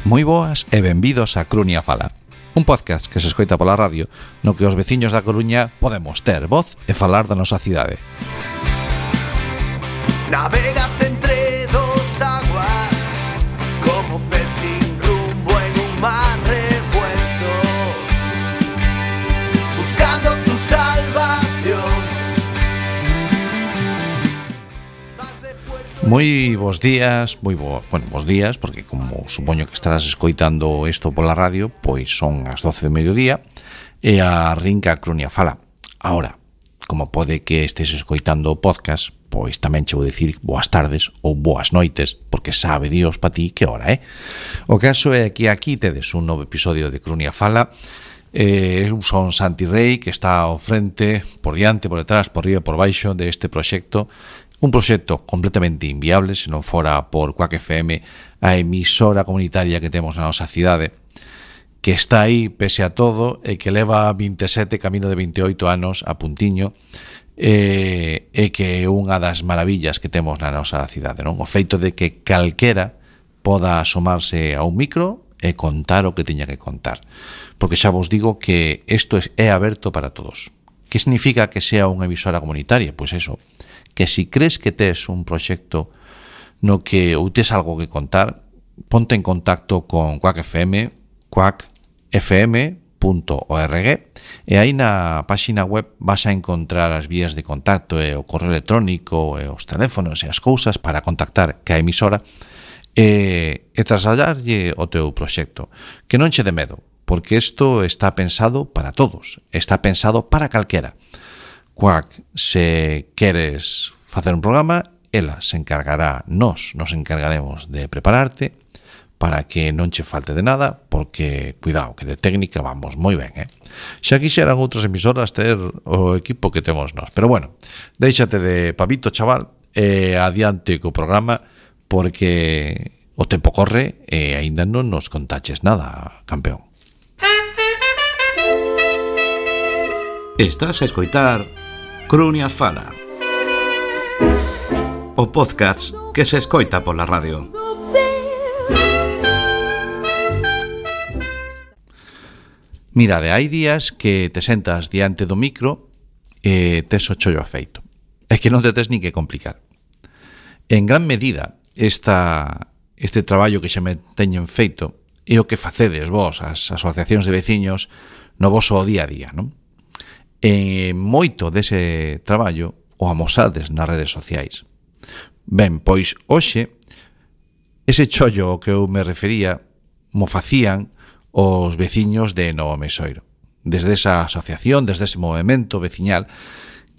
Moi boas e benvidos a Crunia Fala, un podcast que se escoita pola radio no que os veciños da Coruña podemos ter voz e falar da nosa cidade. Navegas entre dos aguas como pez sin rumbo en un mar revuelto, buscando tu salvación. Moi bons días, bons días, porque como supoño que estarás escoitando isto pola radio, pois son as 12 de mediodía e arrinca Crunia Fala. Ahora, como pode que estés escoitando o podcast, pois tamén che vou dicir boas tardes ou boas noites, porque sabe Dios pa ti que hora é. O caso é que aquí tedes un novo episodio de Crunia Fala. Eu son Santi Rey, que está ao frente, por diante, por detrás, por riba, por baixo deste proxecto. Un proxecto completamente inviable se non fora por Quack FM, a emisora comunitaria que temos na nosa cidade, que está aí pese a todo e que leva 27, camino de 28 anos a puntiño, e que é unha das maravillas que temos na nosa cidade, non? O feito de que calquera poda asomarse a un micro e contar o que teña que contar. Porque xa vos digo que isto é aberto para todos. Que significa que sea unha emisora comunitaria? Pois eso, que si crees que tes un proxecto no que ou tes algo que contar, ponte en contacto con Quack FM, quackfm.org, e aí na páxina web vas a encontrar as vías de contacto e o correo electrónico e os teléfonos e as cousas para contactar ca emisora e trasladarlle o teu proxecto. Que non che de medo, porque isto está pensado para todos, está pensado para calquera. Quack, se queres facer un programa, ela se encargará, nos encargaremos de prepararte para que non che falte de nada, porque, cuidado, que de técnica vamos moi ben, Xa quixeran outras emisoras ter o equipo que temos nós, pero bueno, déixate de pavito, chaval, e adiante co programa, porque o tempo corre e aínda non nos contaches nada, campeón. Estás a escoitar Crunia Fala, o podcast que se escoita pola radio. Mirade, hai días que te sentas diante do micro e tes o chollo feito. É que non te tes ni que complicar. En gran medida, este traballo que xa me teñen feito é o que facedes vos, as asociacións de veciños, no voso día a día, non? E moito dese traballo o amosades nas redes sociais. Ben, pois hoxe ese chollo ao que eu me refería mo facían os veciños de Novo Mesoiro, desde esa asociación, desde ese movemento veciñal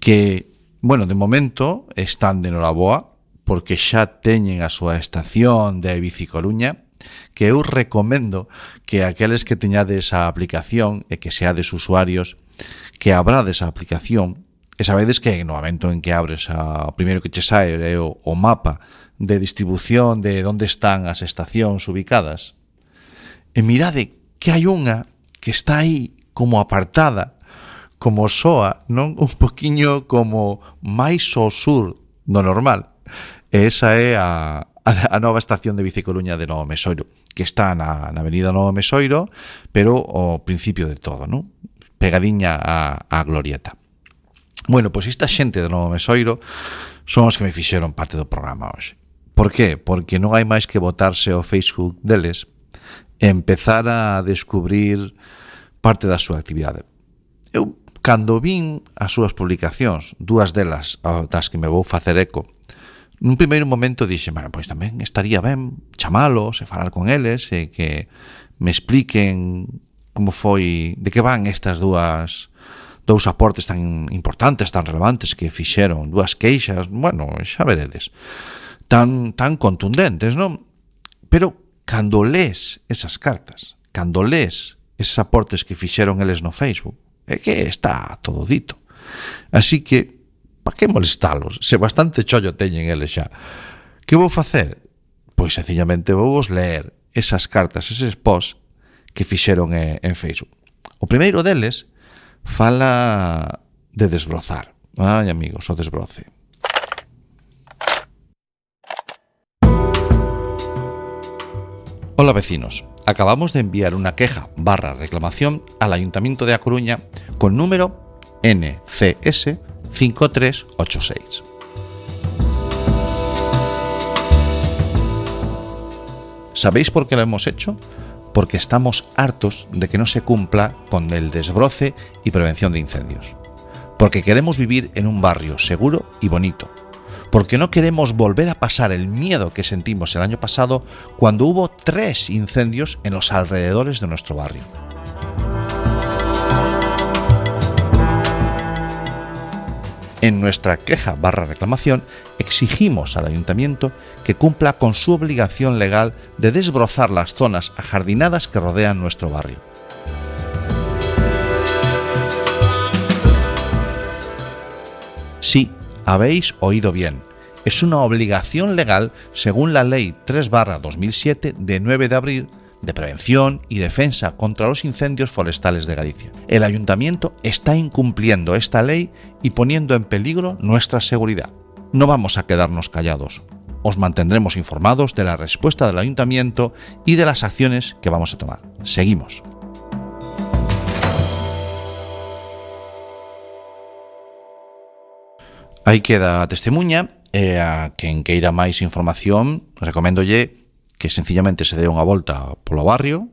que, bueno, de momento están de noraboa porque xa teñen a súa estación de Bicicoruña, que eu recomendo que aqueles que teñades a aplicación e que seades usuarios que abrades a aplicación e sabedes que no momento en que abres o primeiro que che sae é o mapa de distribución de onde están as estacións ubicadas, e mirade que hai unha que está aí como apartada, como soa, non? Un poquiño como máis ao sur do normal, e esa é a nova estación de Bicicoruña de Novo Mesoiro, que está na avenida Novo Mesoiro, pero ao principio de todo, non? Pegadiña a glorieta. Bueno, pois esta xente de Novo Mesoiro son os que me fixeron parte do programa hoxe. Por qué? Porque non hai máis que botarse ao Facebook deles e empezar a descubrir parte da súa actividade. Eu, cando vin as súas publicacións, dúas delas das que me vou facer eco, nun primeiro momento dixe, bueno, pois tamén estaría ben chamalos e falar con eles e que me expliquen como foi, de que van estas dous aportes tan importantes, tan relevantes que fixeron, dúas queixas, bueno, xa veredes, tan contundentes, non? Pero cando lees esas cartas, cando lees esos aportes que fixeron eles no Facebook, é que está todo dito. Así que, pa que molestalos, se bastante chollo teñen eles xa. Que vou facer? Pois sencillamente vou vos leer esas cartas, eses posts que fixeron en Facebook. O primeiro deles fala de desbrozar. Ai, amigos, o desbroce. Hola vecinos, acabamos de enviar una queja/reclamación al Ayuntamiento de A Coruña con número NCS 5386. ¿Sabéis por qué lo hemos hecho? Porque estamos hartos de que no se cumpla con el desbroce y prevención de incendios. Porque queremos vivir en un barrio seguro y bonito. Porque no queremos volver a pasar el miedo que sentimos el año pasado cuando hubo 3 incendios en los alrededores de nuestro barrio. En nuestra queja/reclamación exigimos al Ayuntamiento que cumpla con su obligación legal de desbrozar las zonas ajardinadas que rodean nuestro barrio. Sí, habéis oído bien. Es una obligación legal según la Ley 3/2007 de 9 de abril de prevención y defensa contra los incendios forestales de Galicia. El Ayuntamiento está incumpliendo esta ley y poniendo en peligro nuestra seguridad. No vamos a quedarnos callados. Os mantendremos informados de la respuesta del Ayuntamiento y de las acciones que vamos a tomar. Seguimos. Aí queda a testemunha e a quen queira máis información recoméndolle que sencillamente se dé unha volta polo barrio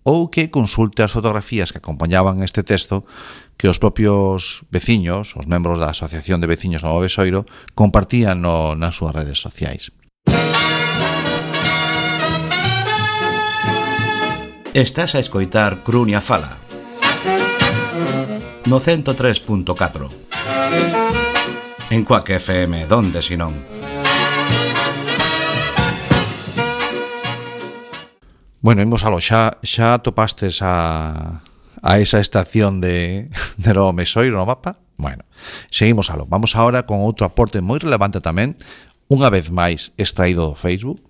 ou que consulte as fotografías que acompañaban este texto que os propios veciños, os membros da Asociación de Veciños do Novo Besoiro, compartían nas súas redes sociais. Estás a escoitar Crunia Fala no 103.4 en Cuac FM, donde si non. Bueno, imos aló, xa topastes a esa estación de Novo Besoiro no mapa? Bueno, seguimos aló. Vamos ahora con outro aporte moi relevante tamén, unha vez máis extraído do Facebook,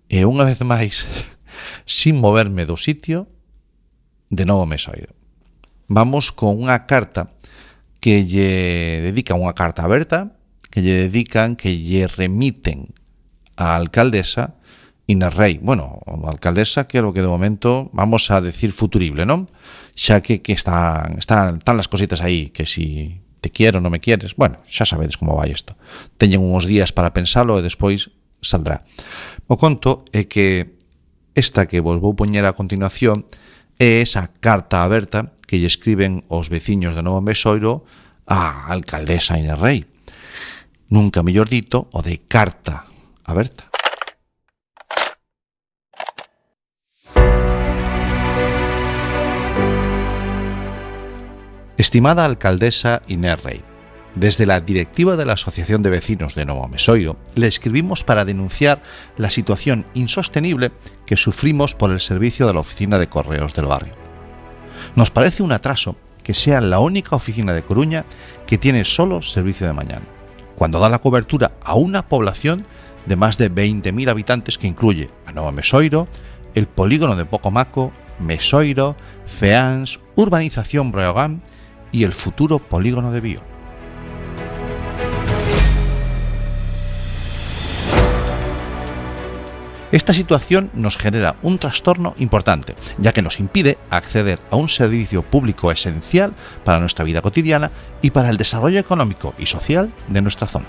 e unha vez máis sin moverme do sitio de Novo Besoiro. Vamos con unha carta que lle dedican, unha carta aberta, que lle remiten á alcaldesa Inés Rei. Bueno, a alcaldesa que é o que de momento vamos a decir futurible, non? Xa que están las cositas aí, que si te quiero, non me quieres. Bueno, xa sabedes como vai isto. Teñen uns días para pensalo e despois saldrá. O conto é que esta que vos vou poñer a continuación é esa carta aberta que lle escriben os veciños de Novo Besoiro á alcaldesa Inés Rei. Nunca mellor dito, o de carta aberta. Estimada alcaldesa Inés Rei, desde la directiva de la Asociación de Vecinos de Novo Besoiro le escribimos para denunciar la situación insostenible que sufrimos por el servicio de la oficina de correos del barrio. Nos parece un atraso que sea la única oficina de Coruña que tiene solo servicio de mañana, cuando da la cobertura a una población de más de 20.000 habitantes que incluye a Novo Besoiro, el polígono de Pocomaco, Besoiro, Feáns, Urbanización Breogán y el futuro polígono de Bío. Esta situación nos genera un trastorno importante, ya que nos impide acceder a un servicio público esencial para nuestra vida cotidiana y para el desarrollo económico y social de nuestra zona.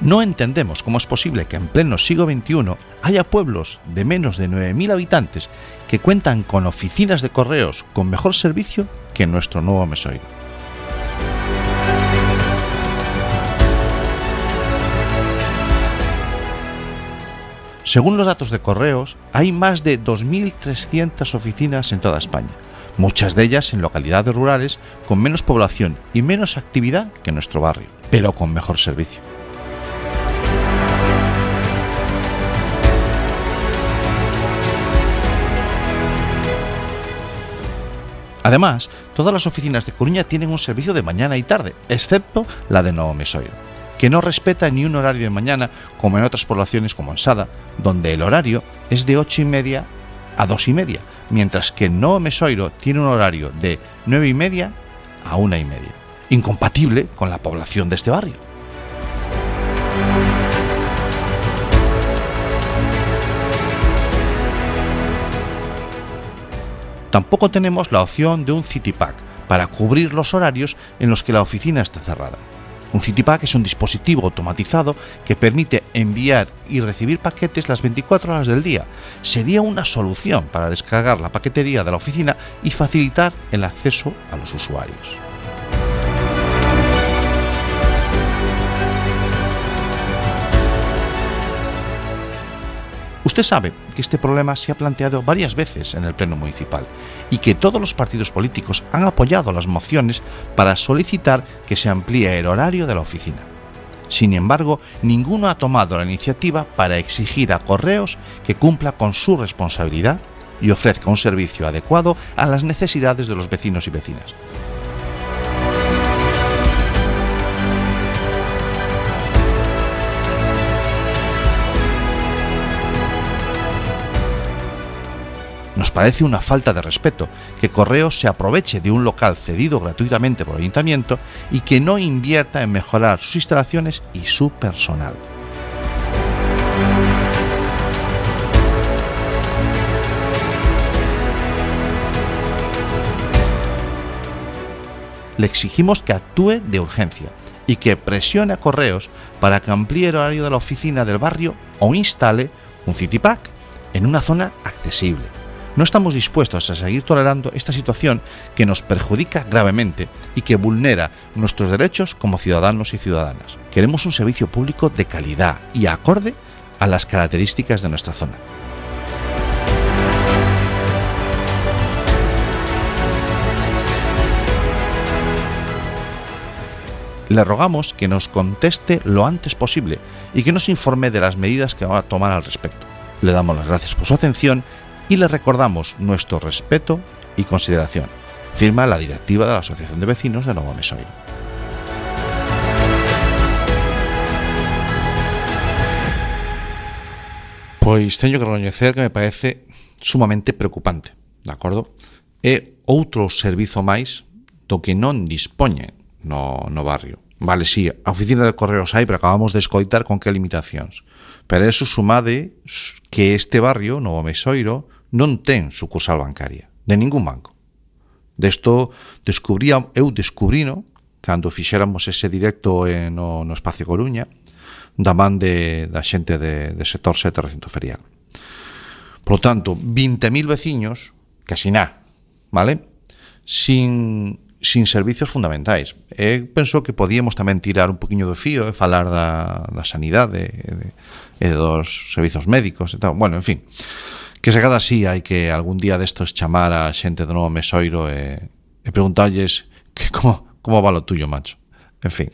No entendemos cómo es posible que en pleno siglo XXI haya pueblos de menos de 9.000 habitantes que cuentan con oficinas de correos con mejor servicio que nuestro Novo Besoiro. Según los datos de correos, hay más de 2.300 oficinas en toda España, muchas de ellas en localidades rurales con menos población y menos actividad que nuestro barrio, pero con mejor servicio. Además, todas las oficinas de Coruña tienen un servicio de mañana y tarde, excepto la de Novo Besoiro, que no respeta ni un horario de mañana como en otras poblaciones como en Sada, donde el horario es de 8:30 a 2:30, mientras que en Novo Besoiro tiene un horario de 9:30 a 1:30. incompatible con la población de este barrio. Tampoco tenemos la opción de un CityPack para cubrir los horarios en los que la oficina está cerrada. Un CityPack es un dispositivo automatizado que permite enviar y recibir paquetes las 24 horas del día. Sería una solución para descargar la paquetería de la oficina y facilitar el acceso a los usuarios. Usted sabe que este problema se ha planteado varias veces en el Pleno Municipal y que todos los partidos políticos han apoyado las mociones para solicitar que se amplíe el horario de la oficina. Sin embargo, ninguno ha tomado la iniciativa para exigir a Correos que cumpla con su responsabilidad y ofrezca un servicio adecuado a las necesidades de los vecinos y vecinas. Nos parece una falta de respeto que Correos se aproveche de un local cedido gratuitamente por el Ayuntamiento y que no invierta en mejorar sus instalaciones y su personal. Le exigimos que actúe de urgencia y que presione a Correos para que amplíe el horario de la oficina del barrio o instale un CityPack en una zona accesible. No estamos dispuestos a seguir tolerando esta situación que nos perjudica gravemente y que vulnera nuestros derechos como ciudadanos y ciudadanas. Queremos un servicio público de calidad y acorde a las características de nuestra zona. Le rogamos que nos conteste lo antes posible y que nos informe de las medidas que va a tomar al respecto. Le damos las gracias por su atención y le recordamos nuestro respeto y consideración. Firma la directiva de la Asociación de Vecinos de Novo Mesoiro. Pois teño que recoñecer que me parece sumamente preocupante, de acordo? É outro servizo máis do que non dispoñen no barrio. Vale, sí, a oficina de Correos hai, pero acabamos de escoitar con que limitacións. Pero eso sumade que este barrio, Novo Mesoiro, non ten sucursal bancaria, de ningún banco. Desto eu descubrino cando fixéramos ese directo no Espacio Coruña, da man da xente de sector 7 recinto ferial. Por lo tanto, 20.000 veciños, casi nada, vale? Sin servicios fundamentais. Penso que podíamos tamén tirar un poquinho do fío e falar da sanidade e dos servizos médicos e tal. Bueno, en fin, que se cada así hai que algún día destos chamar a xente do Novo Mesoiro e preguntarlles que como va lo tuyo, macho. En fin.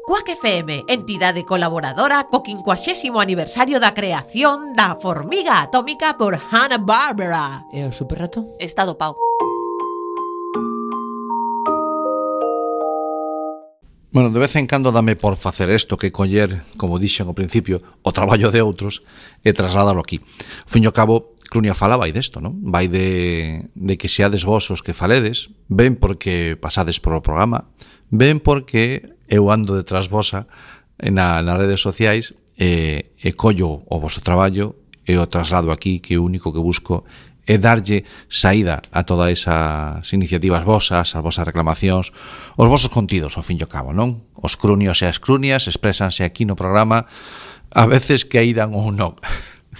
Quack FM, entidade colaboradora co 50º aniversario da creación da formiga atómica por Hanna-Barbera. E o superrato? Está dopado. Bueno, de vez en cando dame por facer isto que coller, como dixen ao principio, o traballo de outros e trasladalo aquí. Ao fin e ao cabo, Clunia Fala vai desto, non? Vai de que seades vos os que faledes, ben porque pasades por o programa, ben porque eu ando detrás vosa nas redes sociais e collo o vosso traballo e o traslado aquí, que o único que busco é darlle saída a todas esas iniciativas vosas, as vosas reclamacións, os vosos contidos, ao fin e ao cabo, non? Os crunios e as crunias exprésanse aquí no programa, a veces que irán ou non,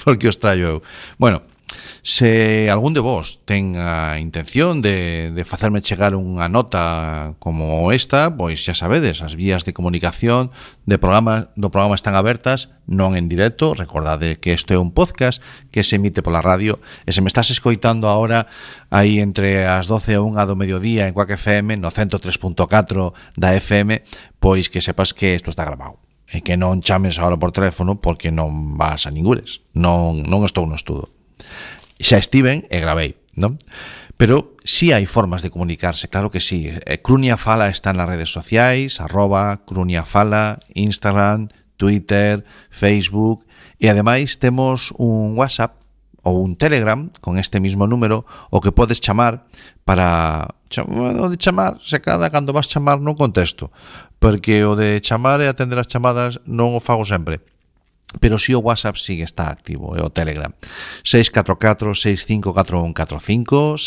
porque os traio eu. Bueno, se algún de vos ten a intención de facerme chegar unha nota como esta, pois xa sabedes, as vías de comunicación do programa están abertas, non en directo. Recordade que isto é un podcast que se emite pola radio e se me estás escoitando agora aí entre as 12 e 1 do mediodía en Quack FM no 103.4 da FM, pois que sepas que isto está grabado e que non chames agora por teléfono porque non vas a ningures, non estou no estudo. Xa estiven e gravei, non? Pero sí hai formas de comunicarse, claro que sí. Clunia Fala está nas redes sociais, @CluniaFala, Instagram, Twitter, Facebook, e ademais temos un WhatsApp ou un Telegram con este mismo número o que podes chamar para... O de chamar, se cada cando vas chamar non contesto, porque o de chamar e atender as chamadas non o fago sempre. Pero si o WhatsApp sigue está activo, e o Telegram 644-654145,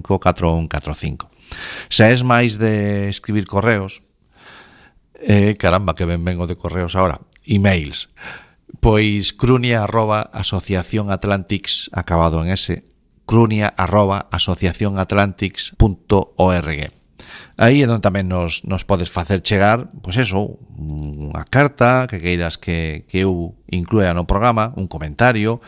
644-654145. Se és máis de escribir correos, caramba, que ben vengo de correos ahora, emails, pois crunia@asociacionatlantics, acabado en S, crunia@asociacionatlantics.org. Aí é onde tamén nos podes facer chegar, pois eso, unha carta que queiras que eu inclúa no programa, un comentario,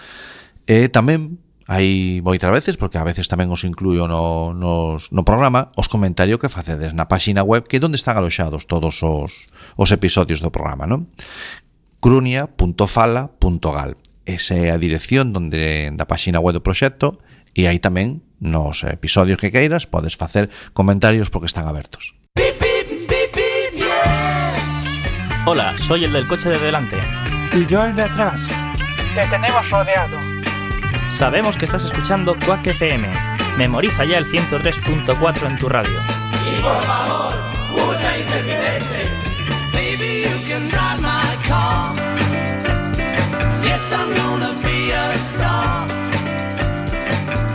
e tamén hai moitas veces, porque a veces tamén os incluyo no programa, os comentarios que facedes na páxina web, que é onde están aloxados todos os episodios do programa, non? crunia.fala.gal. Esa é a dirección da páxina web do proxecto, e aí tamén nos episodios que queiras podes facer comentarios porque están abertos. Hola, soy el del coche de delante. Y yo el de atrás. Te tenemos rodeado. Sabemos que estás escuchando Quack FM. Memoriza ya el 103.4 en tu radio. Y por favor, usa intermitente. Baby, you can drive my car. Yes, I'm gonna be a star.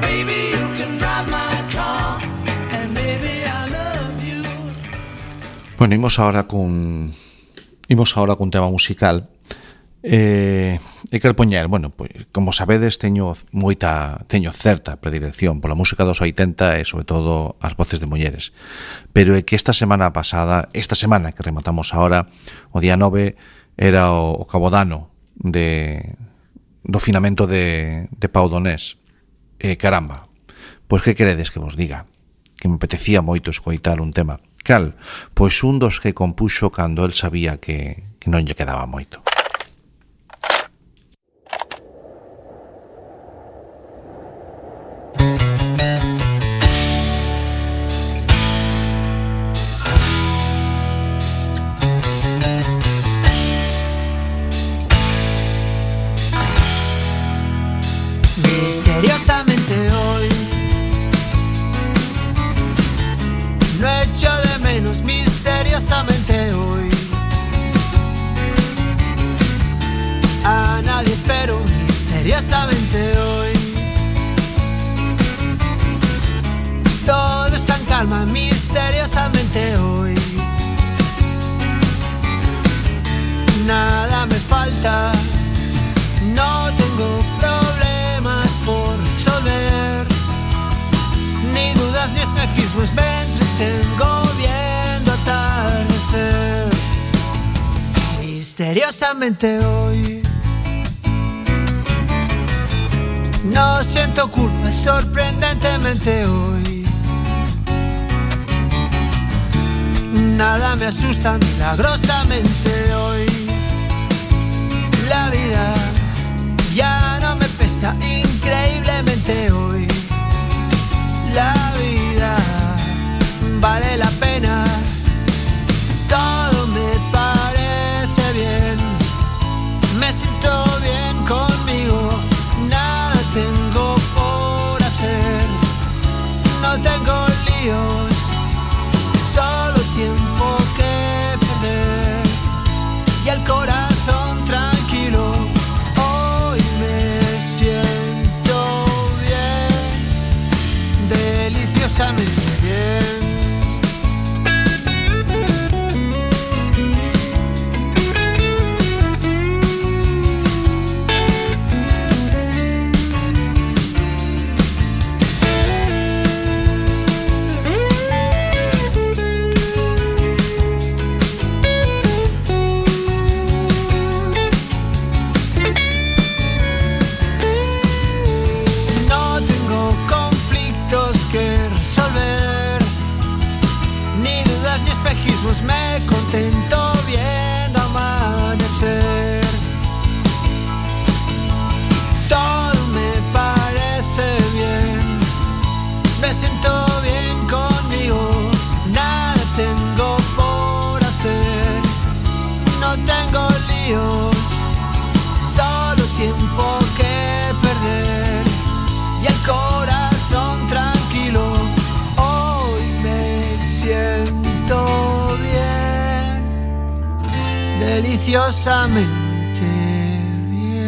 Baby, you can drive my car. And baby, I love you. Bueno, imos ahora cun tema musical. Quero poñer, bueno, pois, como sabedes, teño certa predilección pola música dos 80 e sobre todo as voces de mulleres, pero é que esta semana que rematamos ahora, o día 9 era o cabodano do finamento de Pau Donés. Caramba, pois que queredes que vos diga? Que me apetecía moito escoitar un tema. Cal? Pois un dos que compuxo cando el sabía que non lle quedaba moito. Misteriosamente hoy no echo de menos, misteriosamente hoy a nadie espero, misteriosamente hoy todo está en calma, misteriosamente hoy nada me falta, no tengo problemas por resolver, ni dudas ni espejismos, me entretengo viendo atardecer. Misteriosamente hoy no siento culpa, sorprendentemente hoy nada me asusta, milagrosamente hoy la vida ya no me pesa, increíblemente hoy la vida vale la pena, todo me parece bien, me siento bien conmigo, nada tengo por hacer, no tengo líos, solo tiempo que perder y el corazón tranquilo. Hoy me siento bien, deliciosamente bien. No tengo conflictos que resolver, ni dudas ni espejismos, me contento viendo amanecer. Todo me parece bien, me siento bien conmigo, nada tengo por hacer, no tengo líos, solo tiempo que deliciosamente bien.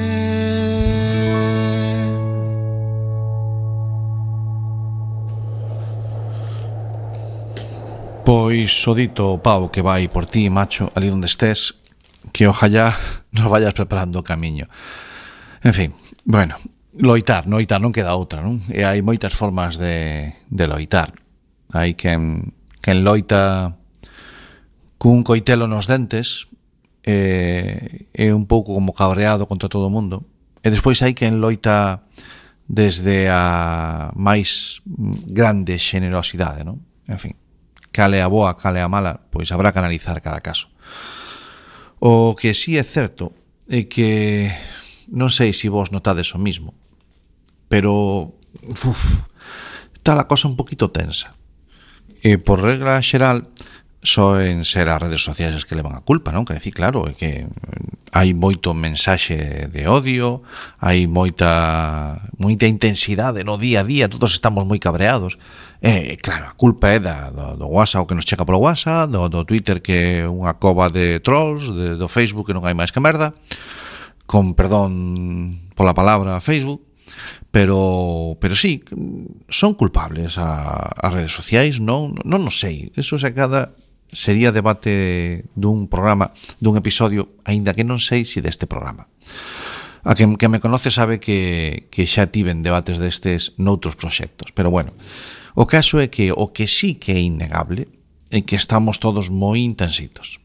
Pois o dito pau que vai por ti, macho, ali onde estés, que ojalá nos vayas preparando o camiño. En fin, bueno, loitar non queda outra, non? E hai moitas formas de loitar. Hai quen loita cun coitelo nos dentes, é un pouco como cabreado contra todo o mundo, e despois hai quen loita desde a máis grande xenerosidade, non? En fin, cale a boa, cale a mala, pois habrá que analizar cada caso. O que sí é certo é que non sei se vos notades o mismo, pero está a cosa un poquito tensa. E por regla xeral soen ser as redes sociais as que levan a culpa, non? Que decir, claro, é que hai moito mensaxe de odio, hai moita intensidade no día a día, todos estamos moi cabreados. Claro, a culpa é do WhatsApp, o que nos chega polo WhatsApp, do Twitter, que é unha cova de trolls, do Facebook, que non hai máis que merda, con perdón pola palabra Facebook, pero sí, son culpables as redes sociais, non sei, eso sería debate dun programa, dun episodio, aínda que non sei se deste programa. A que me conoce sabe que xa tiven debates destes noutros proxectos, pero bueno, o caso é que o que sí que é innegable é que estamos todos moi intensitos,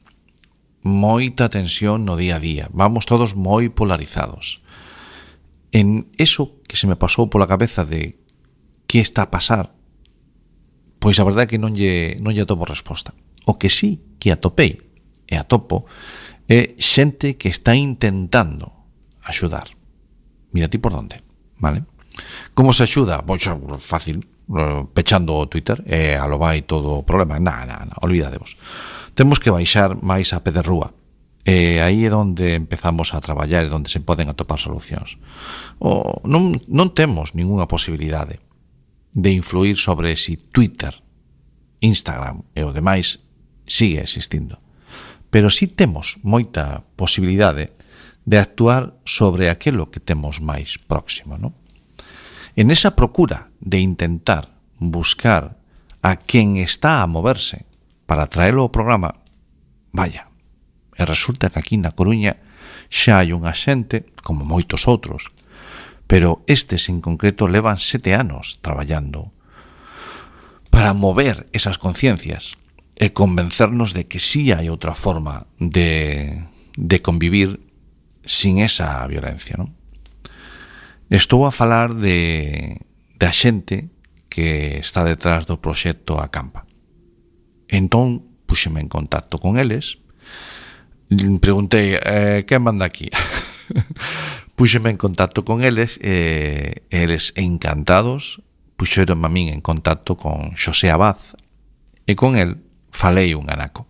moita tensión no día a día, vamos todos moi polarizados. En eso que se me pasou pola cabeza de que está a pasar, pois a verdade é que non lle atopo resposta. O que sí que atopei e atopo é xente que está intentando axudar. Mira ti por onde, vale? Como se axuda? Pois fácil, pechando o Twitter e alo vai todo o problema. Na, olvidadevos. Temos que baixar máis a pé de rúa. E aí é onde empezamos a traballar e onde se poden atopar solucións. Non temos ningunha posibilidade de influir sobre si Twitter, Instagram e o demais sigue existindo. Pero sí temos moita posibilidade de actuar sobre aquilo que temos máis próximo, non? En esa procura de intentar buscar a quen está a moverse para traelo ao programa, vaya, e resulta que aquí na Coruña xa hai unha xente, como moitos outros, pero estes en concreto levan 7 anos traballando para mover esas conciencias e convencernos de que sí hai outra forma de convivir sin esa violencia, non? Estou a falar da xente que está detrás do proxecto Acampa. Entón, puxeme en contacto con eles, preguntei, quen manda aquí? Puxeme en contacto con eles e eles encantados puxeronme a min en contacto con Xosé Abad e con el falei un anaco.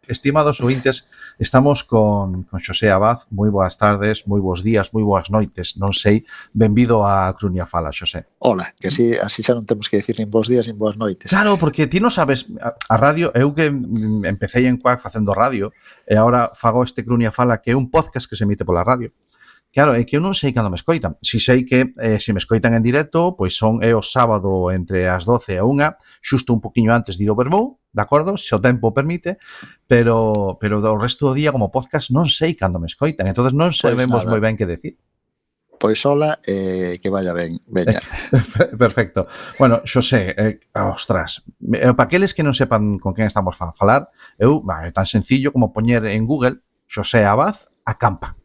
Estimados ouvintes, estamos con Xosé Abad. Moi boas tardes, moi bons días, moi boas noites, non sei. Benvido a Cruña Fala, Xosé. Hola, que así xa non temos que decir nin bons días nin boas noites. Claro, porque ti non sabes, a radio, eu que empecé en Cuac facendo radio, e agora fago este Cruña Fala, que é un podcast que se emite pola radio. Claro, é que eu non sei cando me escoitan. Si sei que se me escoitan en directo, pois é o sábado entre as 12 e 1, xusto un poquinho antes de ir ao Vermou, de acordo, se o tempo permite, pero do resto do día como podcast non sei cando me escoitan, entonces non sabemos moi ben que decir. Pois hola, que vaya ben, veña. Perfecto. Bueno, Xosé, ostras, para aqueles que non sepan con quen estamos a falar, é tan sencillo como poñer en Google Xosé Abad Acampa.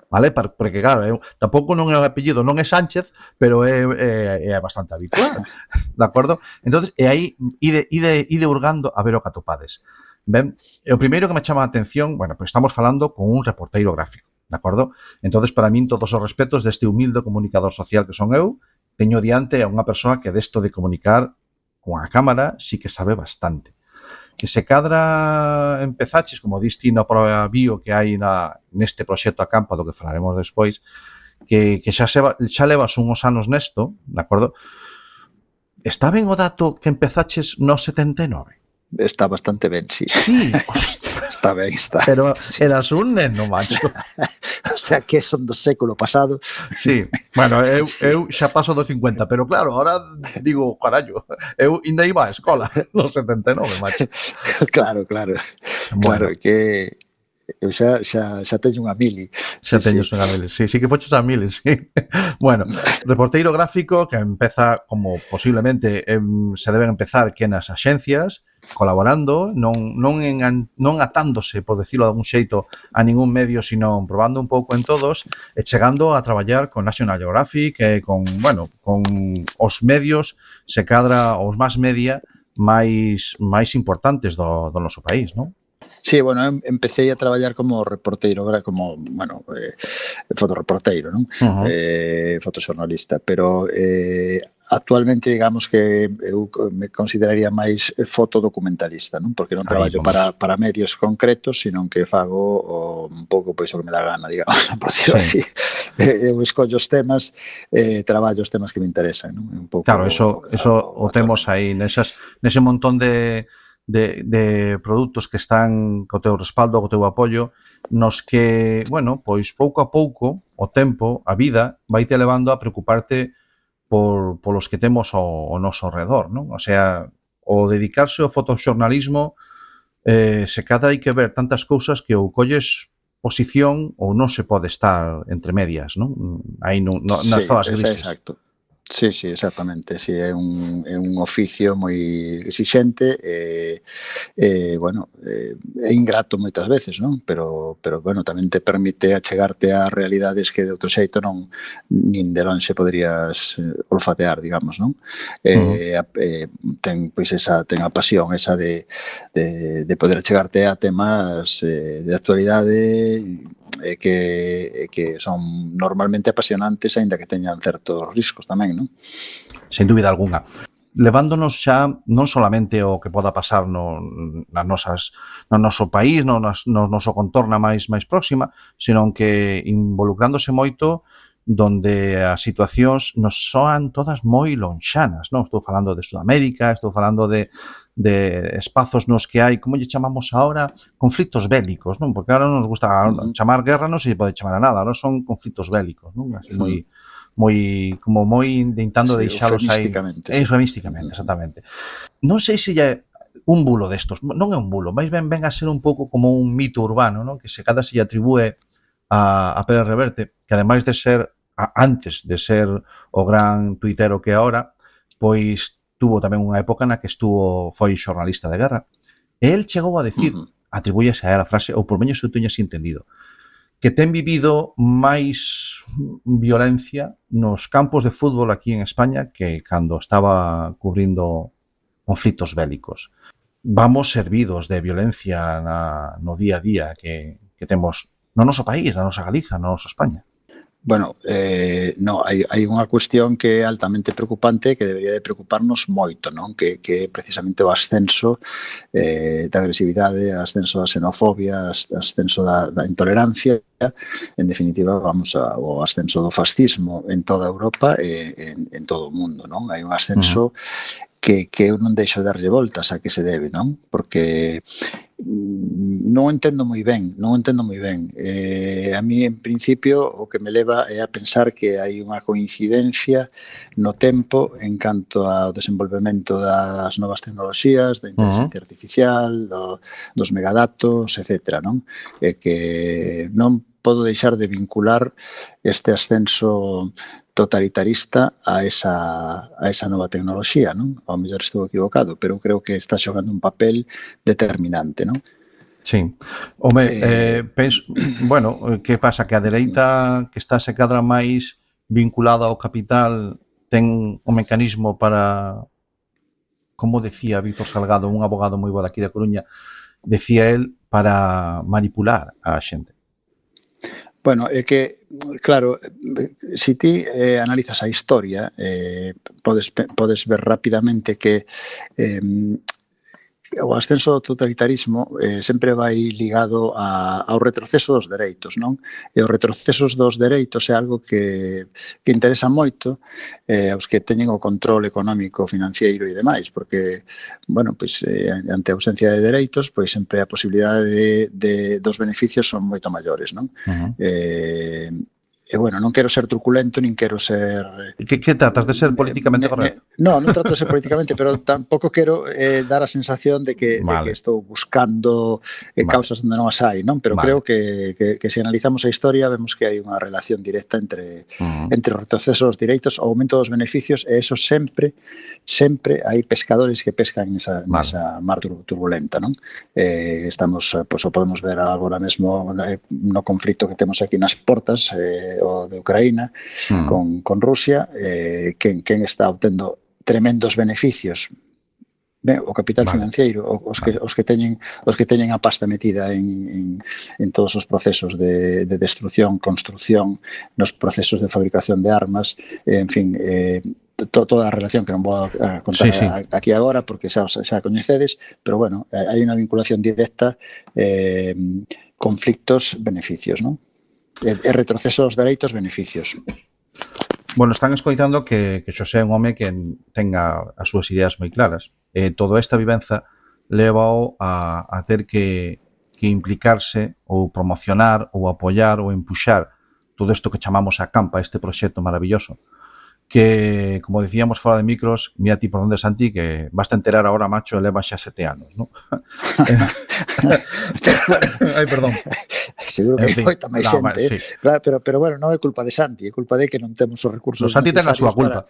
Vale? Porque claro, tampouco non é o apellido, non é Sánchez, pero é bastante habitual, de acordo? Entonces, e aí ide hurgando a ver o que atopades. Ben, o primeiro que me chama a atención, bueno, pues estamos falando con un reporteiro gráfico, de acordo? Entonces, para min, todos os respetos deste humilde comunicador social que son eu, teño diante a unha persoa que desto de comunicar con a cámara sí que sabe bastante. Que se cadra empezaches, como diste na prova bio que hai neste proxecto Acampa, do que falaremos despois, que xa levas uns anos nesto, de acordo? Está ben o dato que empezaches no 79? está bastante ben, sí. Sí, Está ben, está. pero eras un neno, macho. O sea, que son do século pasado. Sí, bueno, eu xa paso dos 50, pero claro, ahora digo, carallo, eu ainda iba á escola nos 79, macho. Claro, claro. Bueno. Claro, que eu xa teño unha mili. Xa teños unha miles, sí, que foches a miles, sí. Bueno, reporteiro gráfico que empeza como posiblemente se deben empezar que nas axencias, colaborando, non atándose, por decirlo de algún xeito, a ningún medio, sino probando un pouco en todos e chegando a traballar con National Geographic e con os medios, se cadra os máis media máis importantes do noso país, non? Sí, bueno, empecé a traballar como reporteiro, fotoreporteiro, non? Fotoxornalista, pero actualmente digamos que eu me consideraría máis fotodocumentalista, non? Porque non traballo para medios concretos, sino que fago un pouco pois o que me dá gana, digamos, por decirlo así. Eu escollo os temas, traballo os temas que me interesan, non? Un pouco. Claro, eso o temos aí nese montón de produtos que están co teu respaldo, co teu apoio, nos que, bueno, pois pouco a pouco, o tempo, a vida, vaite levando a preocuparte polos que temos ao noso redor, non? O sea, o dedicarse ao fotoxornalismo, se cadra hai que ver tantas cousas que ou colles posición ou non se pode estar entre medias, non? Aí nas zonas grises. Exacto. Sí, exactamente. Sí, é un oficio moi exixente bueno, é ingrato moitas veces, non? Pero bueno, tamén te permite achegarte a realidades que de outro xeito nin de lonxe poderías olfatear, digamos, non? Ten a pasión esa de poder achegarte a temas de actualidade que son normalmente apasionantes, aínda que teñan certos riscos tamén, non? Sen dúbida algunha. Levándonos xa non solamente o que poda pasar no noso país, no noso contorna máis próxima, senón que involucrándose moito donde as situacións nos soan todas moi lonxanas, non? Estou falando de Sudamérica, estou falando de espazos nos que hai, como lle chamamos ahora, conflitos bélicos, non? Porque ahora non nos gusta chamar guerra, non se pode chamar a nada, ahora son conflitos bélicos, non? Así moi intentando deixalos aí. Eufemísticamente, exactamente. Non sei se é un bulo destos, non é un bulo, máis ben a ser un pouco como un mito urbano, non? Que se cada se lle atribúe a Pérez Reverte, que ademais de ser, antes de ser o gran tuitero que é ahora, pois tuvo tamén unha época na que foi xornalista de guerra. E el chegou a decir, atribúyese a él a frase, ou por menos eu teño así entendido, que ten vivido máis violencia nos campos de fútbol aquí en España que cando estaba cubrindo conflitos bélicos. Vamos servidos de violencia no día a día que temos no noso país, na nosa Galiza, na nosa España. Bueno, hai unha cuestión que é altamente preocupante que debería de preocuparnos moito, non? Que é precisamente o ascenso da agresividade, o ascenso da xenofobia, o ascenso da intolerancia, en definitiva, o ascenso do fascismo en toda Europa e en todo o mundo, non? Hai un ascenso que eu non deixo de darlle voltas a que se debe, non? Porque non entendo moi ben. A mí, en principio, o que me leva é a pensar que hai unha coincidencia no tempo en canto ao desenvolvemento das novas tecnoloxías, da inteligencia artificial, dos megadatos, etc., non? E que non podo deixar de vincular este ascenso totalitarista a esa nova tecnoloxía, non? Ao mellor estou equivocado, pero creo que está xogando un papel determinante, non? Sí. Home, penso, bueno, que pasa? Que a dereita que está se cadra máis vinculada ao capital ten o mecanismo para, como decía Víctor Salgado, un abogado moi bo daqui da Coruña, decía el, para manipular a xente. Bueno, é que, claro, se ti analizas a historia, podes ver rapidamente que o ascenso do totalitarismo sempre vai ligado ao retroceso dos dereitos, non? E os retrocesos dos dereitos é algo que interesa moito aos que teñen o control económico, financiero e demais, porque, bueno, pois ante a ausencia de dereitos, pois sempre a posibilidade dos beneficios son moito maiores, non? E, bueno, non quero ser truculento, nin quero ser... Que tratas de ser políticamente correcto? Non trato de ser políticamente, pero tampouco quero dar a sensación de que estou buscando causas onde non as hai, non? Pero creo que se analizamos a historia vemos que hai unha relación directa entre o retroceso dos direitos, o aumento dos beneficios, e eso sempre hai pescadores que pescan nesa mar turbulenta, non? Estamos, pois, o podemos ver agora mesmo no conflito que temos aquí nas portas, o de Ucraína con Rusia, quen está obtendo tremendos beneficios, o capital financiero, os que teñen a pasta metida en todos os procesos de destrucción, construcción, nos procesos de fabricación de armas, en fin, toda a relación que non vou a contar aquí agora porque xa coñecedes, pero bueno, hai unha vinculación directa, conflictos, beneficios, non? E retroceso dos dereitos, beneficios. Bueno, están escoitando que Xosé é un home que tenga as súas ideas moi claras. Toda esta vivenza leva a ter que implicarse ou promocionar ou apoiar ou empuxar todo isto que chamamos a Campa, este proxecto maravilloso, que, como decíamos fora de micros, mira ti por onde, Santi, que vas a enterar ahora, macho, eleva xa 7 anos, non? Ai, perdón. Seguro que hai moita máis xente, sí. Pero bueno, non é culpa de Santi, é culpa de que non temos os recursos necesarios. Santi ten a súa culpa.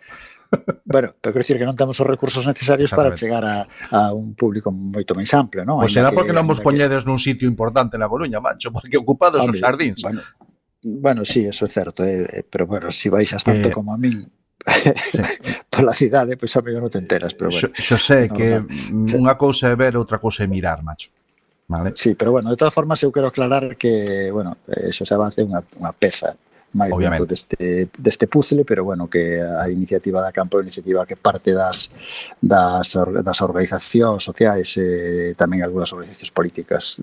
Bueno, pero quero dicir que non temos os recursos necesarios para chegar a un público moito máis amplo, non? Pois será porque non vos poñedes nun sitio importante na Coruña, macho, porque ocupados os xardíns. Bueno, sí, eso é certo, pero bueno, se vais tanto como a min pola cidade, pois a mellor non te enteras, pero bueno. Xo sei que unha cousa é ver, outra cousa é mirar, macho. Vale. Sí, pero bueno, de todas formas eu quero aclarar que, bueno, Xosé Abad é unha peza máis dentro deste puzzle, pero bueno, que a iniciativa da Campo é unha iniciativa que parte das organizacións sociais e tamén algunhas organizacións políticas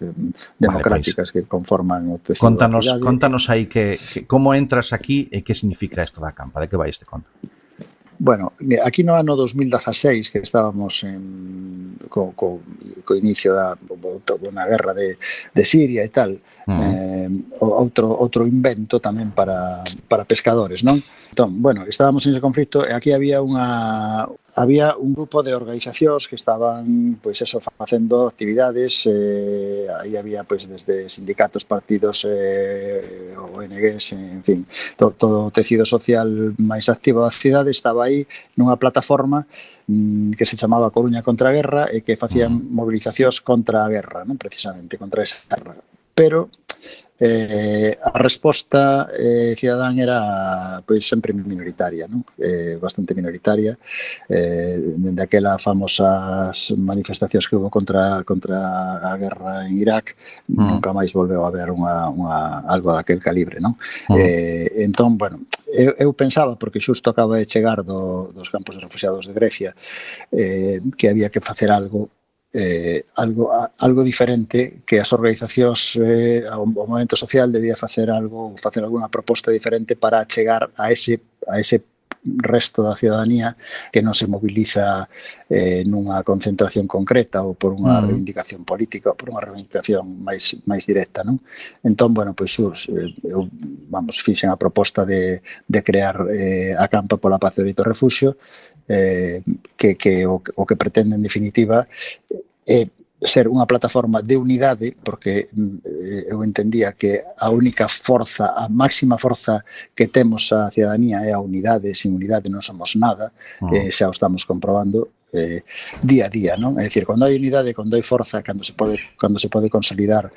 democráticas que conforman o tecido da cidade. Contanos aí como entras aquí e que significa isto da Campa, de que vai este conto? Bueno, aquí no ano 2016, que estábamos co inicio da guerra de Siria e tal, outro invento tamén para pescadores, non? Entón, bueno, estábamos en ese conflito e aquí había un grupo de organizacións que estaban, pois eso, facendo actividades, aí había, pois, desde sindicatos, partidos, ONGs, en fin, todo o tecido social máis activo da cidade estaba aí nunha plataforma que se chamaba Coruña contra a Guerra e que facían movilizacións contra a guerra, non, precisamente, contra esa guerra. Pero a resposta cidadán era, pois, sempre minoritaria, non? Bastante minoritaria. Dende aquelas famosas manifestacións que houve contra a guerra en Irak, nunca máis volveu a haber algo daquel calibre, non? Entón, bueno, eu pensaba, porque xusto acaba de chegar dos campos de refugiados de Grecia, que había que facer algo diferente, que as organizacións, o movimento social debía facer algunha proposta diferente para chegar a ese resto da ciudadanía que non se moviliza nunha concentración concreta ou por unha reivindicación política ou por unha reivindicación máis directa, non? Entón, bueno, pois eu fixen a proposta de crear a Campa pola Paz e o Refugio, que o que pretende, en definitiva, é ser unha plataforma de unidade, porque eu entendía que a única forza, a máxima forza que temos a ciudadanía é a unidade. Sin unidade non somos nada, xa o estamos comprobando día a día, non? É dicir, cando hai unidade, cando hai forza, cando se pode consolidar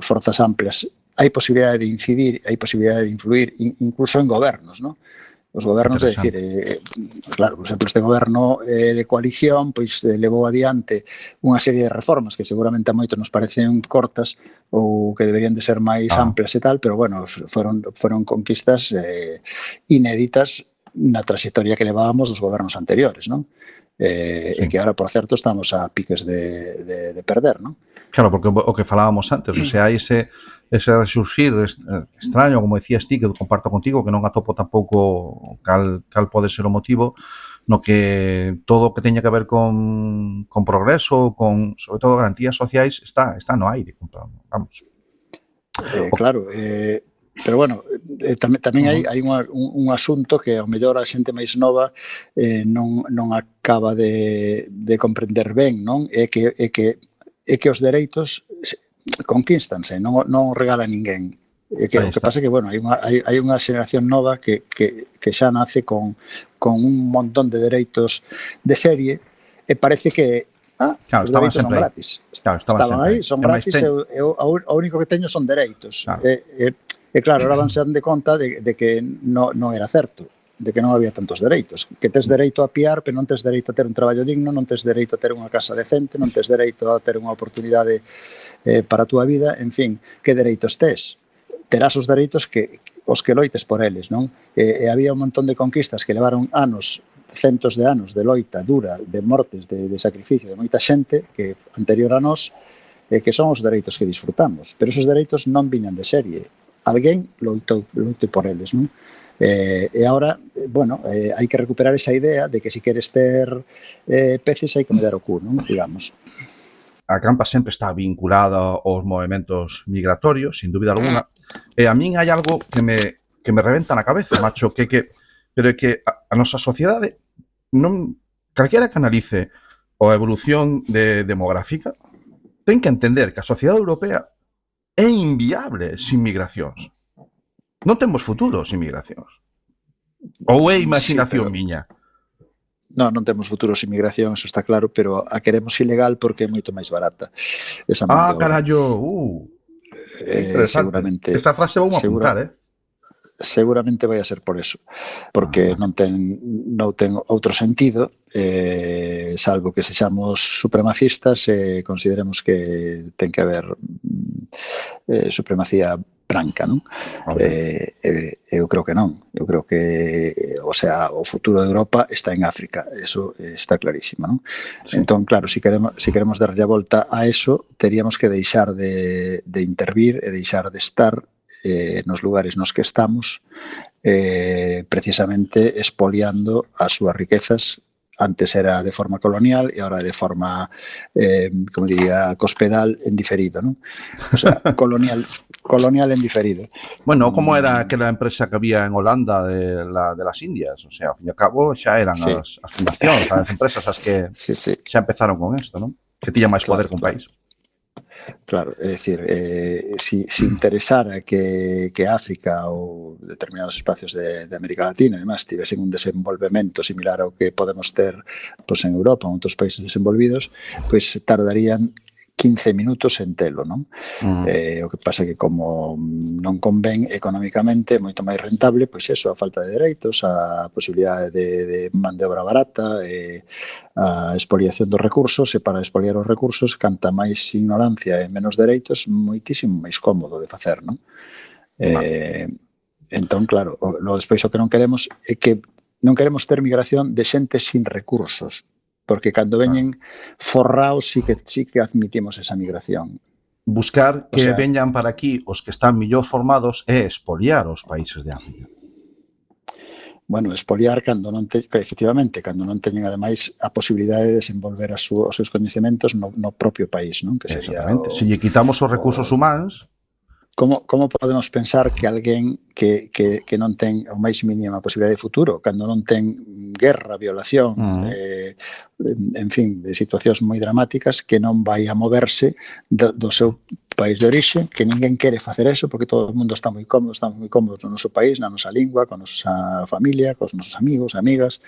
forzas amplias, hai posibilidade de incidir, hai posibilidade de influir, incluso en gobernos, non? Os gobernos, é dicir, claro, por exemplo, este goberno de coalición pois levou adiante unha serie de reformas que seguramente a moito nos parecen cortas ou que deberían de ser máis amplias e tal, pero bueno, foron conquistas inéditas na trayectoria que levábamos dos gobernos anteriores, non? E que ahora, por certo, estamos a piques de perder, non? Claro, porque o que falábamos antes, o sea, hai ese resurgir extraño, como decías ti, que comparto contigo, que non atopo tampouco cal pode ser o motivo, no que todo o que teña que ver con progreso, con, sobre todo, garantías sociais, está no aire. Vamos. Claro, pero bueno, tamén hai un asunto que ao mellor a xente máis nova non acaba de comprender ben, non? É que os dereitos conquístanse, non regala ninguén. O que pasa é que, bueno, hai unha xeración nova que xa nace con un montón de dereitos de serie e parece que claro, os dereitos son gratis. Claro, estaban aí, son gratis e o único que teño son dereitos. Claro. E claro, ahora vanse dando conta de que non era certo, de que non había tantos dereitos, que tes dereito a piar, pero non tes dereito a ter un traballo digno, non tes dereito a ter unha casa decente, non tes dereito a ter unha oportunidade para a túa vida, en fin, que dereitos tes? Terás os dereitos os que loites por eles, non? E había un montón de conquistas que levaron anos, centos de anos de loita dura, de mortes, de sacrificio de moita xente que anterior a nós, que son os dereitos que disfrutamos, pero esos dereitos non viñan de serie. Alguén loite por eles, non? E agora, bueno, hai que recuperar esa idea de que se queres ter peces hai que medar o cu, non? Digamos. A campa sempre está vinculada aos movimentos migratorios, sin dúbida alguna, e a min hai algo que me reventa na cabeza, macho, pero é que a nosa sociedade non, calquera que analice a evolución demográfica, ten que entender que a sociedade europea é inviable sin migracións. Non temos futuro sin migracións. Ou é imaginación miña? Non temos futuro sin migración, eso está claro, pero a queremos ilegal porque é moito máis barata. Esa carallo! Seguramente. Esta frase vou apuntar, Seguramente vai a ser por eso, porque non ten outro sentido, salvo que sexamos supremacistas e consideremos que ten que haber supremacía branca, non? Eu creo que non. Eu creo que, o sea, o futuro de Europa está en África, eso está clarísimo, non? Sí. Entón, claro, si queremos darlle a volta a eso, teríamos que deixar de intervir e deixar de estar nos lugares nos que estamos precisamente expoliando as súas riquezas. Antes era de forma colonial e agora de forma, como diría, cospedal en diferido, ¿no? O sea, colonial en diferido. Bueno, como era aquela empresa que había en Holanda de las Indias? O sea, ao fin e ao cabo xa eran as fundacións, as empresas as que xa empezaron con isto, ¿no? Que tiña máis poder que un país. Claro, é dicir, si interesara que África ou determinados espacios de América Latina, además, tivesen un desenvolvemento similar ao que podemos ter en Europa ou en outros países desenvolvidos, pois tardarían 15 minutos en telo, non? O que pasa que como non convén económicamente, moito máis rentable, pois eso, a falta de dereitos, a posibilidade de man de obra barata, a expoliación dos recursos, e para expoliar os recursos, canta máis ignorancia e menos dereitos, moitísimo máis cómodo de facer, non? Entón, claro, despois o que non queremos é que non queremos ter migración de xente sin recursos, porque cando veñen forraos sí que admitimos esa migración. Buscar que veñan para aquí os que están mellor formados é expoliar os países de África. Bueno, expoliar efectivamente, cando non teñen ademais a posibilidade de desenvolver os seus coñecementos no propio país, non? Que sería se lle quitamos os recursos humanos. Como podemos pensar que alguén que non ten o máis mínima posibilidade de futuro, cando non ten guerra, violación, en fin, de situacións moi dramáticas, que non vai a moverse do seu país de orixe, que ninguén quere facer eso, porque todo o mundo está moi cómodo, estamos moi cómodos no noso país, na nosa lingua, con a nosa familia, cos nosos amigos, amigas,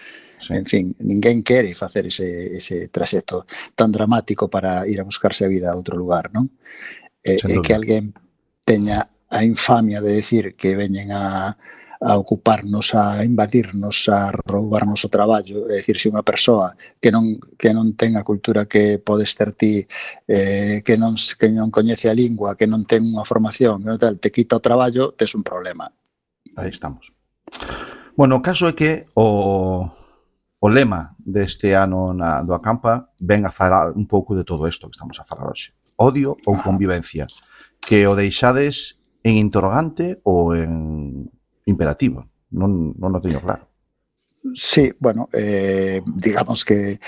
en fin, ninguén quere facer ese traxecto tan dramático para ir a buscarse a vida a outro lugar, non? E que alguén teña a infamia de decir que veñen a ocuparnos, a invadirnos, a roubarnos o traballo. É dicir, se unha persoa que non ten a cultura que podes ter ti, que non coñece a lingua, que non ten unha formación, te quita o traballo, tes un problema. Aí estamos. Bueno, o caso é que o lema deste ano do Acampa ven a falar un pouco de todo isto que estamos a falar hoxe. Odio ou convivencia, que o deixades en interrogante ou en imperativo. Non o teño claro. Sí, bueno, digamos que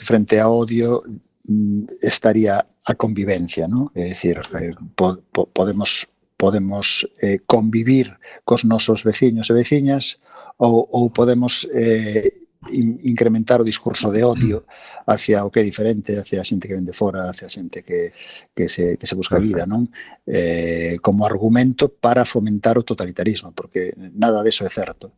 frente a odio estaría a convivencia, ¿no? É dicir, podemos convivir cos nosos veciños e veciñas ou podemos incrementar o discurso de odio hacia o que é diferente, hacia a xente que ven de fora, hacia a xente que se busca vida, non? Como argumento para fomentar o totalitarismo, porque nada deso é certo.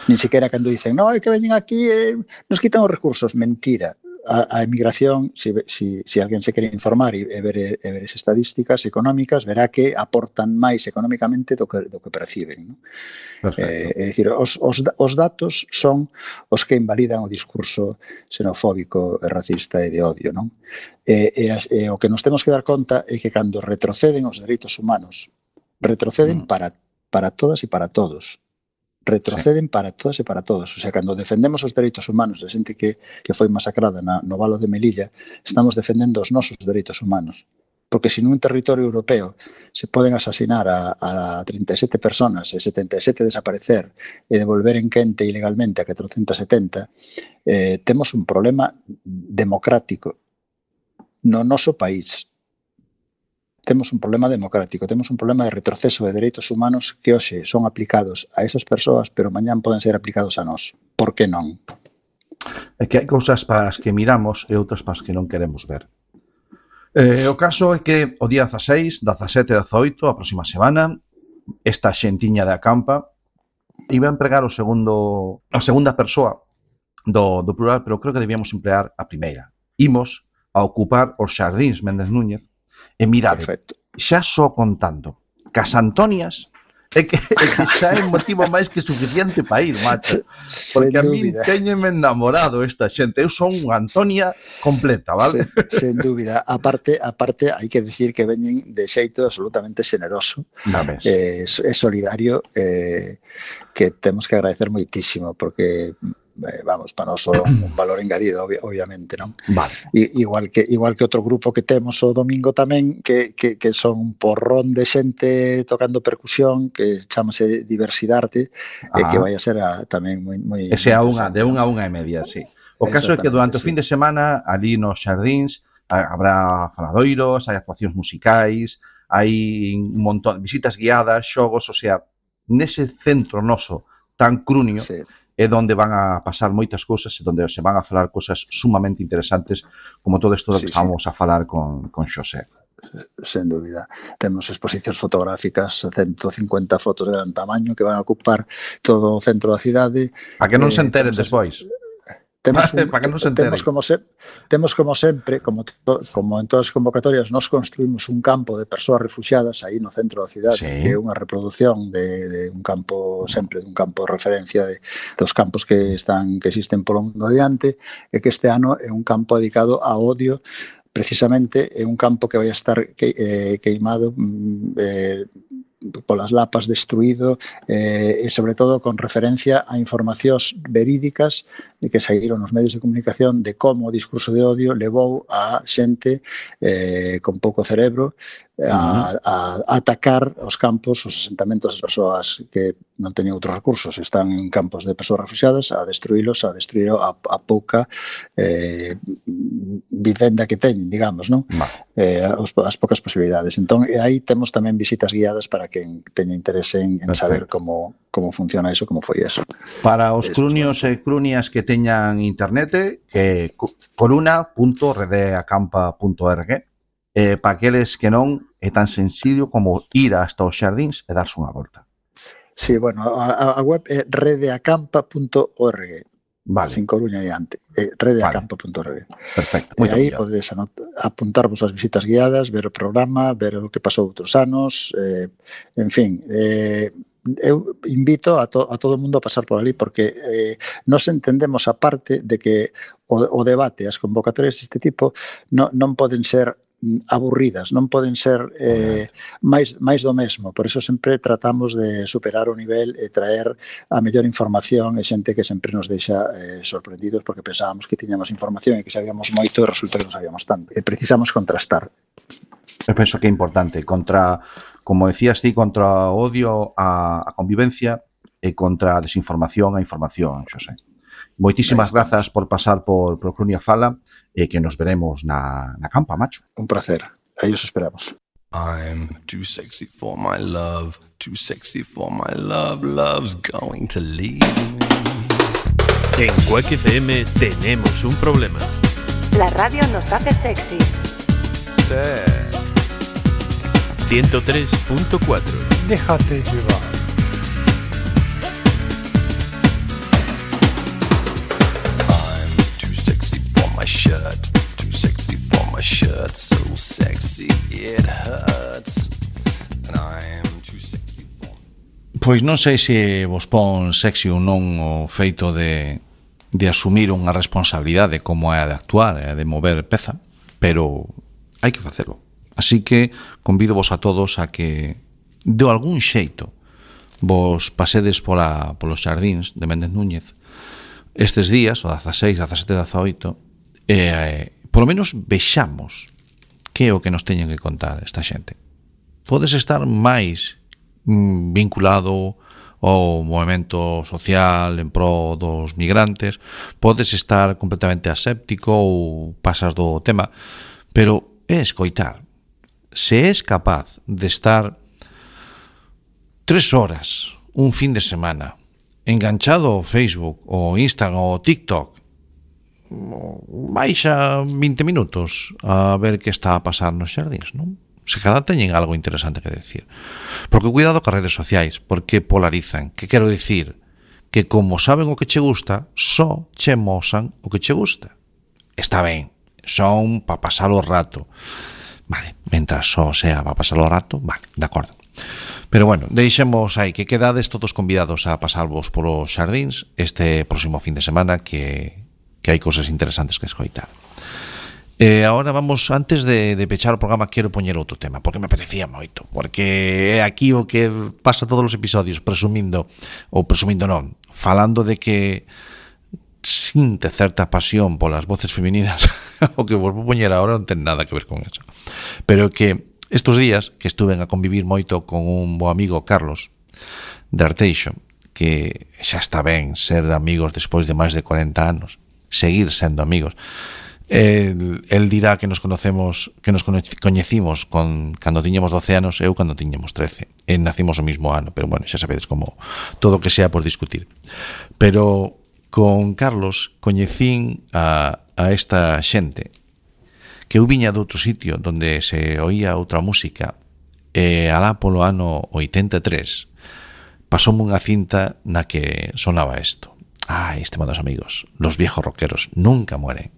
Nin siquiera cando dicen, no, é que veñen aquí e nos quitan os recursos. Mentira. A emigración, si alguén se quere informar e ver as estadísticas económicas, verá que aportan máis económicamente do que perciben, non? É dicir, os datos son os que invalidan o discurso xenofóbico e racista e de odio, non? E o que nos temos que dar conta é que cando retroceden os dereitos humanos, retroceden para todas e para todos. Retroceden para todas e para todos. O sea, cando defendemos os dereitos humanos de xente que foi masacrada no valo de Melilla, estamos defendendo os nosos dereitos humanos. Porque se nun territorio europeo se poden asasinar a 37 personas e 77 desaparecer e devolver en quente ilegalmente a 470, temos un problema democrático no noso país. Temos un problema democrático, temos un problema de retroceso de dereitos humanos que hoxe son aplicados a esas persoas, pero mañán poden ser aplicados a nós. Por que non? É que hai cousas para as que miramos e outras para as que non queremos ver. O caso é que o día 16, 17 e 18, a próxima semana, esta xentiña de Acampa iba a empregar a segunda persoa do plural, pero creo que debíamos emplear a primeira. Imos a ocupar os xardíns Méndez Núñez e mirade, xa só contando Cas Antonias é que xa é motivo máis que suficiente para ir, macho. Porque a mí teñeme enamorado esta xente. Eu son unha Antonia completa, vale? Sen dúbida. Aparte, hai que decir que veñen de xeito absolutamente xeneroso. É solidario, que temos que agradecer moitísimo, porque vamos, para nós un valor engadido, obviamente, non? Vale. Igual que outro grupo que temos o domingo tamén, que son un porrón de xente tocando percusión, que chamase Diversidade, e que vai a ser tamén moi... Ese a unha, de 1 a 1:30, sí. O caso é que durante o fin de semana, ali nos xardíns, habrá faladoiros, hai actuacións musicais, hai un montón de visitas guiadas, xogos, o sea, nese centro noso tan crunio, é onde van a pasar moitas cousas e onde se van a falar cousas sumamente interesantes, como todo isto que estábamos a falar con Xosé. Sen dúbida. Temos exposicións fotográficas, 150 fotos de gran tamaño que van a ocupar todo o centro da cidade. Para que non se enteren despois. Temos como sempre, como en todas as convocatorias, nos construímos un campo de persoas refugiadas aí no centro da cidade, que é unha reproducción de un campo, sempre de un campo de referencia dos campos que existen polo mundo adiante, e que este ano é un campo dedicado ao odio. Precisamente é un campo que vai a estar queimado polas lapas, destruído, e sobre todo con referencia a informacións verídicas que saíron nos medios de comunicación de como o discurso de odio levou a xente con pouco cerebro a atacar os campos, os asentamentos das persoas que non teñen outros recursos, están en campos de persoas refugiadas, a destruir a pouca vivenda que teñen, digamos, non? As poucas posibilidades. Entón, aí temos tamén visitas guiadas para quen teña interese en saber como funciona eso, como foi eso. Para os crunios e crunias que teñan internet, que coruna.redeacampa.org, para aqueles que non é tan sencillo como ir hasta os xardíns e darse unha volta. Sí, bueno, a web é redeacampa.org. Vale. Sin Coruña adiante. Redeacampa.org. Perfecto. E aí podedes apuntarvos as visitas guiadas, ver o programa, ver o que pasou outros anos, en fin, eu invito a todo o mundo a pasar por ali, porque nos entendemos a parte de que o debate, as convocatorias deste tipo non poden ser aburridas, non poden ser máis do mesmo. Por eso sempre tratamos de superar o nivel e traer a mellor información e xente que sempre nos deixa sorprendidos porque pensábamos que tiñamos información e que sabíamos moito e resulta que non sabíamos tanto. E precisamos contrastar. Eu penso que é importante como decías ti, contra o odio a convivencia e contra a desinformación a información, Xosé. Moitísimas grazas por pasar por Clunia Fala e que nos veremos na campa, macho. Un placer. Aí os esperamos. I'm too sexy for my love, too sexy for my love, love's going to leave me. En Quack FM tenemos un problema. La radio nos hace sexys. Sí. 103.4. Déjate llevar. My shirt, too sexy for my shirt, so sexy it hurts, and I am too sexy for... Pois non sei se vos pon sexy ou non o feito de asumir unha responsabilidade como é a de actuar e a de mover peza, pero hai que facelo. Así que convido vos a todos a que de algún xeito vos pasedes polos xardíns de Méndez Núñez estes días, o 16, 17, 18, polo menos vexamos que é o que nos teñen que contar esta xente. Podes estar máis vinculado ao movemento social en pro dos migrantes, podes estar completamente aséptico ou pasas do tema, pero é escoitar. Se és capaz de estar 3 horas un fin de semana enganchado ao Facebook, ao Instagram, ao TikTok, baixa 20 minutos a ver que está a pasar nos xardíns, non? Se cada teñen algo interesante que decir. Porque cuidado cas redes sociais, porque polarizan. Que quero dicir? Que como saben o que che gusta, só che mosan o que che gusta. Está ben, son para pasar o rato. Vale, mentras só sea para pasar o rato, vale, de acordo. Pero bueno, deixemos aí que quedades todos convidados a pasarvos polos xardíns este próximo fin de semana que hai cousas interesantes que escoitar. Ahora vamos, antes de pechar o programa, quero poñer outro tema, porque me apetecía moito, porque é aquí o que pasa todos os episodios, presumindo non, falando de que sinte certa pasión polas voces femininas, o que vos vou poñer agora non ten nada que ver con eso. Pero que estos días que estuve a convivir moito con un bo amigo, Carlos, de Arteixo, que xa está ben ser amigos despois de máis de 40 anos, seguir sendo amigos. El dirá que nos coñecimos cando tiñamos 12 anos, eu cando tiñamos 13. Nacimos o mismo ano, pero bueno, xa sabedes como todo o que sea por discutir. Pero con Carlos coñecín a esta xente que eu viña de outro sitio donde se oía outra música e alá polo ano 83 pasoume unha cinta na que sonaba isto. Estimados amigos, los viejos rockeros nunca mueren.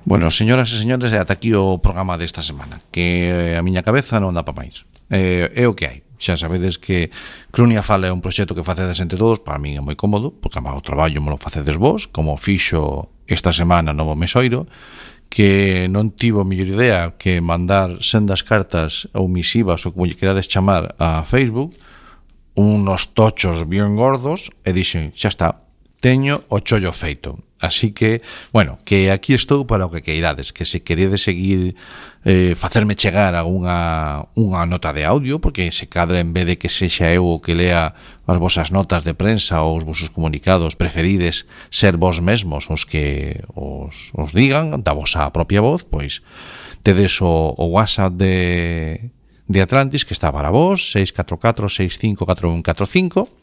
Bueno, señoras e señores, ata aquí o programa desta semana, que a miña cabeza non dá pa máis. É o que hai. Xa sabedes que Crunia Fala é un proxecto que facedes entre todos. Para mí é moi cómodo, porque o traballo me lo facedes vos, como fixo esta semana Novo Mesoiro, que non tivo mellor idea que mandar sendas cartas ou misivas ou como lle querades chamar a Facebook, unos tochos bien gordos, e dixen, xa está, teño o chollo feito. Así que, bueno, que aquí estou para o que queirades, que se queredes seguir facerme chegar a unha nota de audio, porque se cadra en vez de que sexa eu o que lea as vosas notas de prensa ou os vosos comunicados, preferides ser vos mesmos os que os digan da vosa propia voz, pois tedes o WhatsApp de Atlantis, que está para vos, 644-654145,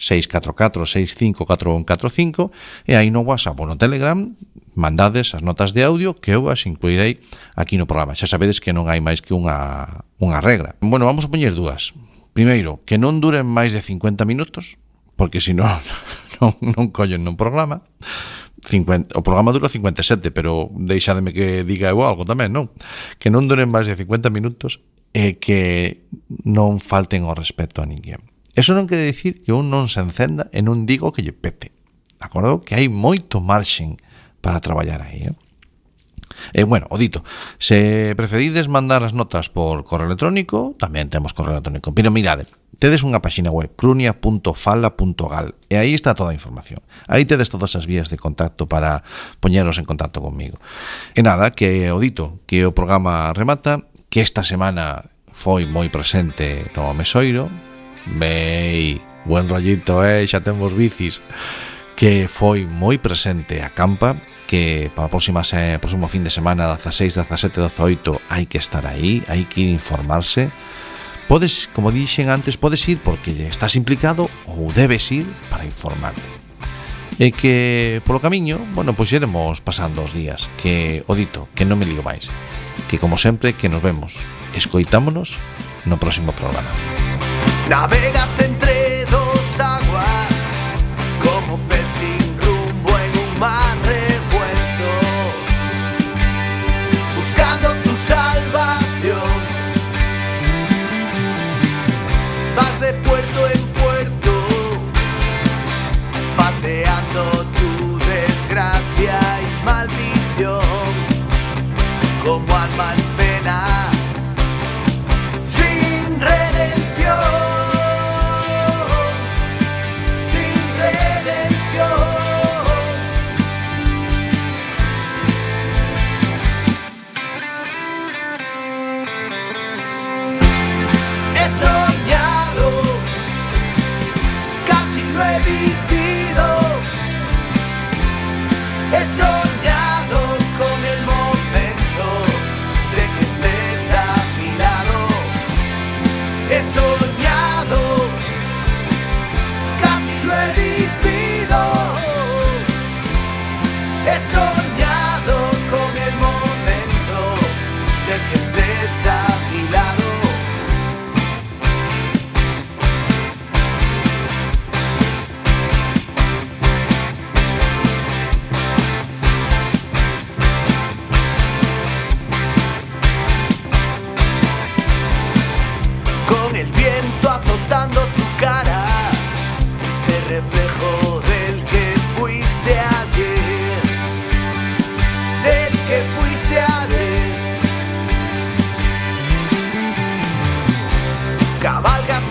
644-654145, e aí no WhatsApp ou no Telegram mandades as notas de audio que eu as incluirei aquí no programa. Xa sabedes que non hai máis que unha regra. Bueno, vamos a poñer dúas. Primeiro, que non duren máis de 50 minutos, porque senón non collen no programa. O programa dura 57, pero deixademe que diga eu algo tamén, non? Que non duren máis de 50 minutos e que non falten ao respeto a ninguén. Eso non quere dicir que un non se encenda e non digo que lle pete. De acordo? Que hai moito marxen para traballar aí, bueno, o dito, se preferides mandar as notas por correo electrónico, tamén temos correo electrónico. Pero mirade, tedes unha páxina web, crunia.fala.gal, e aí está toda a información. Aí tedes todas as vías de contacto para poñeros en contacto comigo. E nada, que o dito, que o programa remata, que esta semana foi moi presente no Mesoiro. Vei, buen rollito, xa temos bicis, que foi moi presente a campa, que para o próximo fin de semana 16, 17, 18 hai que estar aí, hai que ir informarse. Podes, como dixen antes, podes ir porque estás implicado ou debes ir para informarte. E que polo camiño, bueno, pois iremos pasando os días, que o dito, que non me ligo máis, que como sempre que nos vemos, escoitámonos no próximo programa. Navegas entre dos aguas como pez sin rumbo en un mar revuelto, buscando tu salvación. Vas de puerto en puerto, paseando tu desgracia y maldición como alma en pena, sin redención. He soñado con el momento de que estés a mi lado. He soñado, casi lo he vivido. He soñado con el momento de que estés a mi lado. El viento azotando tu cara, este reflejo del que fuiste ayer, del que fuiste ayer. Cabalgas